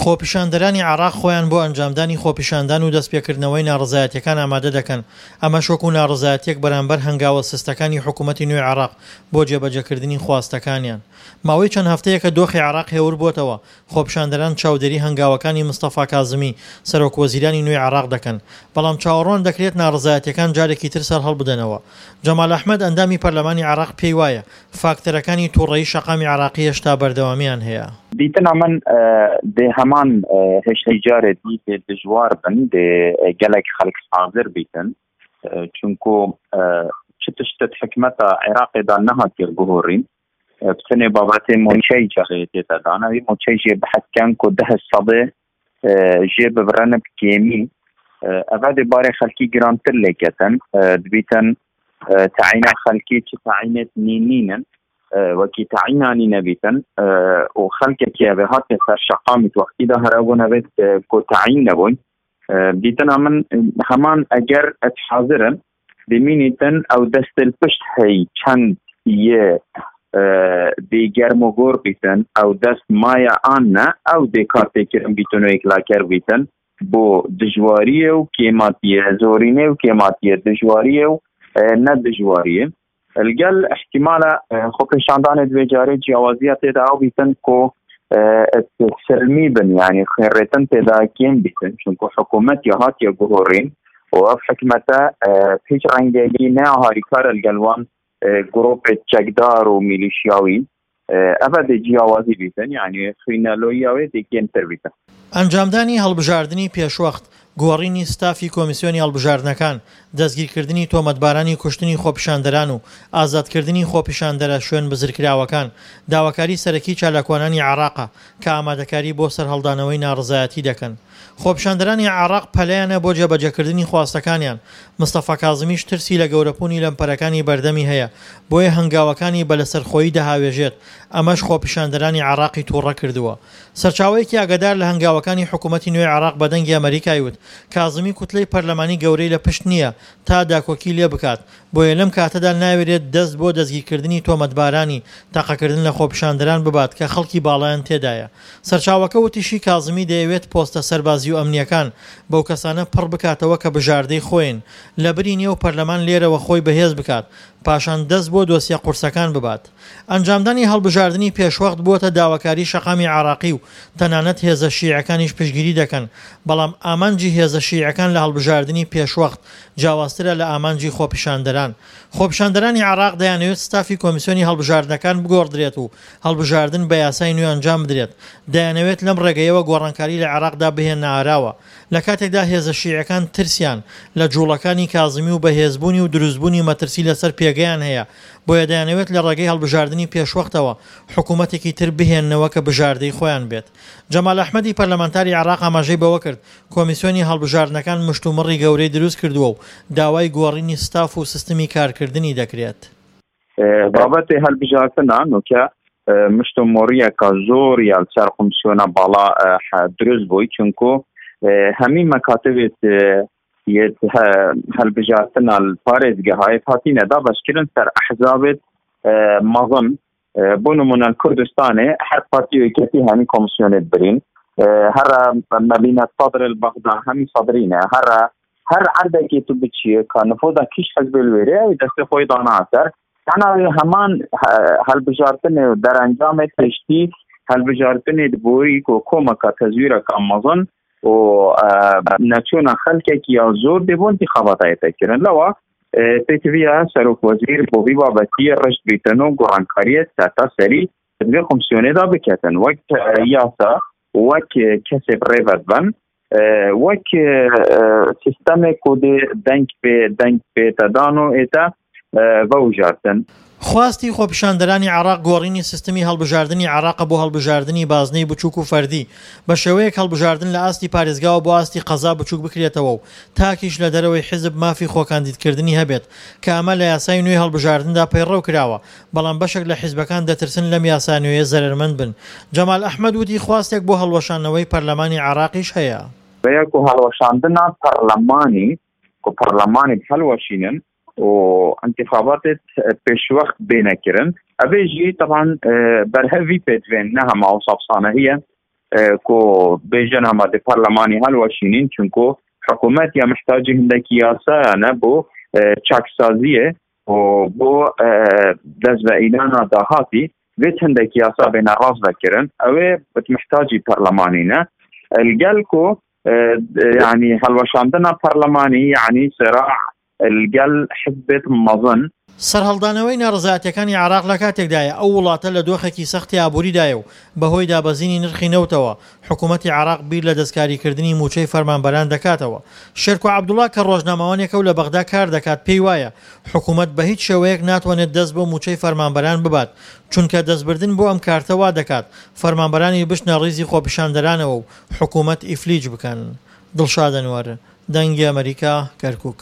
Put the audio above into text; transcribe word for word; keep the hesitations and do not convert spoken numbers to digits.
خۆپیشاندەرانی عێراق خۆیان بۆ ئەنجامدانی خۆپیشاندان و دەستپێکردنەوەی ناڕەزایەتیەکان ئامادە دەکەن، ئەمەش وەکو ناڕەزایەتیەک بەرامبەر هەنگاوە سستەکانی حکومەتی نوێی عێراق بۆ جێبەجێکردنی خواستەکانیان. ماوەی چەند هەفتەیەکە دۆخی عێراق هێور بۆتەوە، خۆپیشاندەران چاودێری هەنگاوەکانی مستەفا کازمی، سەرۆک وەزیرانی نوێی عێراق دەکەن، بەڵام چاوەڕوان دەکرێت ناڕەزایەتیەکان جارێکی تر سەرهەڵبدەنەوە. جەمال ئەحمەد، ئەندامی پەرلەمانی عێراق پێی وایە فاکتەرەکانی توڕەیی شەقامی عێراقی هێشتا بەردەوامیان هەیە. دیتنا من دێ هەمان هێشتەی جارێ دی دێ دژوار بن، دێ گەلێک خەڵک حاضر بیتن، چونکو چ تشتت حکمەتە عێراقێدا نەهاتیە گۆڕین، بتنێ بابەتێ موچەی جارێ تێتە دانا، وی موچەی ژێ بحەسکەن کو ده سەدێ ژێ ببرەنە بکێمی، ئەڤ دێ بارێ خەلکی گرانتر لێکەتن، دبیتن تەعینا خەلکی چ تەعینێت نینینن، وەکی تەعینانی نەبیتن و خەلکێکی ئەوێ هاتێ سەر شەقامیت وەختیدا هەرەبوو نەبێت کو تەعین نەبووین. دیتنا من هەمان ئەگەر ئەت حاضرن دمینیتن ئەو دەستل پشت هەی چەند یە دێ گەرم و گۆر بیتن، ئەو دەست مایە ئان نە ئەو دێ کارتێکردن بیتن و یەکلاکەر بیتن بۆ دژواریە و کێماتیە زۆرینە و کێماتیە دژواریە و نە دژواریە. الگەل احتیمالە خۆپێشاندانێت دوێ جارێ جیاوازیە تێدا ئەو بیتن کۆ سلمی بن، یعنی خوێنڕێتن تێدا کێم بیتن، چونکە حکوومەت یا هاتیە گۆڕین و ئەو حکومەتە هیچ ڕەنگێکی نە هاریکارە لەگەڵ وان گروپ چەکدار و میلیشیاوی، ئەوە دێ جیاوازی بیتن، یعنی خوێنەلۆییاوێ دێ کێمتر بیتن. ئەنجامدانی هەڵبژاردنی پێشوەخت، گۆڕینی ستافی کۆمیسیۆنی هەڵبژاردنەکان، دەستگیرکردنی تۆمەتبارانی کوشتنی خۆپیشاندەران و ئازادکردنی خۆپیشاندەرە شوێن بزرکراوەکان داواکاری سەرەکی چالاکوانانی عێراقە کە ئامادەکاری بۆ سەرهەڵدانەوەی ناڕەزایەتی دەکەن. خۆپیشاندەرانی عێراق پەلەیانە بۆ جێبەجێکردنی خواستەکانیان، مستەفا کازمیش ترسی لە گەورەپوونی لەمپەرەکانی بەردەمی هەیە، بۆیە هەنگاوەکانی بە لەسەرخۆیی دەهاوێژێت، ئەمەش خۆپیشاندەرانی عێراقی تووڕە کردووە. سەرچاوەیەکی ئاگادار لە هەنگاوەکانی حکوومەتی نوێی عێراق بە دەنگی ئەمریکای وت، کازمی کوتلەی پەرلەمانی گەورەی لە پشت نییە تا داکۆکی لێ بکات، بۆیە لەم کاتەدا ناوێرێت دەست بۆ دەستگیرکردنی تۆمەتبارانی تەقەکردن لە خۆپیشاندەران ببات کە خەڵکی باڵایان تێدایە. سەرچاوەکە وتیشی کازمی دەیەوێت پۆستە سەربازی و ئەمنیەکان بەو کەسانە پڕ بکاتەوە کە بژاردەی خۆین لە بری نێو پەرلەمان لێرەوە خۆی بەهێز بکات، پاشان دەست بۆ دۆسیە قورسەکان ببات. ئەنجامدانی هەڵبژاردنی پێشوەخت بووەتە داواکاری شەقامی عێراقی و تەنانەت هێزە شیعەکانیش پشتگیری دەکەن، بەڵام ئامانجی هێزە شیعەکان لە هەڵبژاردنی پێشوەخت جیاوازترە لە ئامانجی خۆپیشاندەران. خۆپیشاندەرانی عێراق دەیانەوێت ستافی کۆمیسیۆنی هەڵبژاردنەکان بگۆڕدرێت و هەڵبژاردن بە یاسای نوێ ئەنجام بدرێت، دەیانەوێت لەم ڕێگەیەوە گۆڕانکاری لە عێراقدا بهێننە ئاراوە. لە کاتێکدا هێزە شیعەکان ترسیان لە جوڵەکانی کازمی و بەهێزبوونی و دروستبوونی مەترسی لەسەر پێگەیان هەیە، بۆیە دەیانەوێت لە ڕێگەی هەڵبژاردنی پێشوەختەوە حکوومەتێکی تر بهێننەوە کە بژاردەی خۆیان بێت. جەمال ئەحمەدی پەرلەمانتاری عێراق ئاماژەی بەوە کرد کۆمیسیۆنی هەڵبژاردنەکان مشتومڕی گەورەی دروست کردووە و داوای گۆڕینی ستاف و سیستمی کارکردنی دەکرێت. بابەتی هەڵبژاردنە نوکە مشتومڕیەکە زۆر یا سەر کۆمیسیۆنە باڵا دروست بووی، چونکو هەمی مەکاتبێت یەت هەڵبژاردنە پارێزگەهای هاتینەدا بەشکردن سەر ئەحزابێت مەزن، بۆ نمونە کوردستانێ هەر پارتی و یەکێتی هەمی کۆمیسیۆنێت برین، هەر مەبینە سەدر بەغدا هەمی سەدرینە، هەر هەر عەردێکی تو بچیە کە نفوذا کیش حزب الوێرێ ئەوی دەستی خۆی دانا سەر. یعنی هەمان هەڵبژاردنێ و دەرەنجامێت پشتی هەڵبژاردنێت بۆی کۆ کۆمەکە تەزویرەکە مەزن و نەچوونە خەلکێکی یا زۆر دەبوون انتخاباتایەتەکردن. لەوە پێتویە سەرۆک وەزیر بۆ وی بابەتی ڕشت بیتن و گۆڕانکاریەت سەرتا سەری دوێ کۆمسیۆنێدا بکەتن، وەک یاسا وەک کەسێ بڕێوە بن، وەک سیستەمێک و دێ دەنگ پێ دەنگ پێتەدان و ئێتا بەوژاردن. خواستی خۆپیشاندەرانی عێراق گۆڕینی سیستمی هەڵبژاردنی عێراقە بۆ هەڵبژاردنی بازنەی بچووک و فەردی، بە شێوەیەک هەڵبژاردن لە ئاستی پارێزگاوە بۆ ئاستی قەزا بچووک بکرێتەوە و تاکیش لە دەرەوەی حیزب مافی خۆکاندیدکردنی هەبێت، کە ئەمە لە یاسای نوێی هەڵبژاردندا پەیڕەو کراوە، بەڵام بەشێک لە حیزبەکان دەترسن لەم یاسا نوێیە زەرەرمەند بن. جەمال ئەحمەد وتی خواستێک بۆ هەڵوەشاندنەوەی پەرلەمانی عێراقیش هەیە. بەیەک و هەڵوەشاندنە پەرلەمانی و پەرلەمانی هەڵوەشینن و انتخاباتت پێشوەخت بێنەکردن، ئەبێ ژی طبعا بەرهەوی پێدوێن نە هەما و سابسانە هەیە کو بێژن هەما دێ پەرلەمانی هەلوەشینین، چونکو حکوومەت یا محتاجی هەندێکی یاسایانە بۆ چاکسازیە و بۆ دەست بە ئیلانا داهاتی بێت هەندێک یاسا بێنە ڕاست بکردن، ئەوێ محتاجی پەرلەمانینە. الگەل کو یعنی هەڵوەشاندنە پەرلەمانی یعنی سراع الگەل حزبێت مەزن. سەرهەڵدانەوەی ناڕەزایەتیەکانی عێراق لە کاتێکدایە ئەو وڵاتە لە دۆخێکی سەختی ئابووریدایە و بەهۆی دابەزینی نرخی نەوتەوە حکوومەتی عێراق بیر لە دەستکاریکردنی مووچەی فەرمانبەران دەکاتەوە. شێرکۆ عەبدوڵا کە ڕۆژنامەوانێکە و لە بەغدا کار دەکات پێی وایە حکوومەت بە هیچ شێوەیەک ناتوانێت دەست بۆ مووچەی فەرمانبەران ببات، چونکە دەستبردن بۆ ئەم کارتە وا دەکات فەرمانبەرانی بچنە ڕیزی خۆپیشاندەرانەوە و حکوومەت ئیفلیج بکەن. دڵشاد ئەنوەر، دەنگی ئەمەریکا، کەرکووک.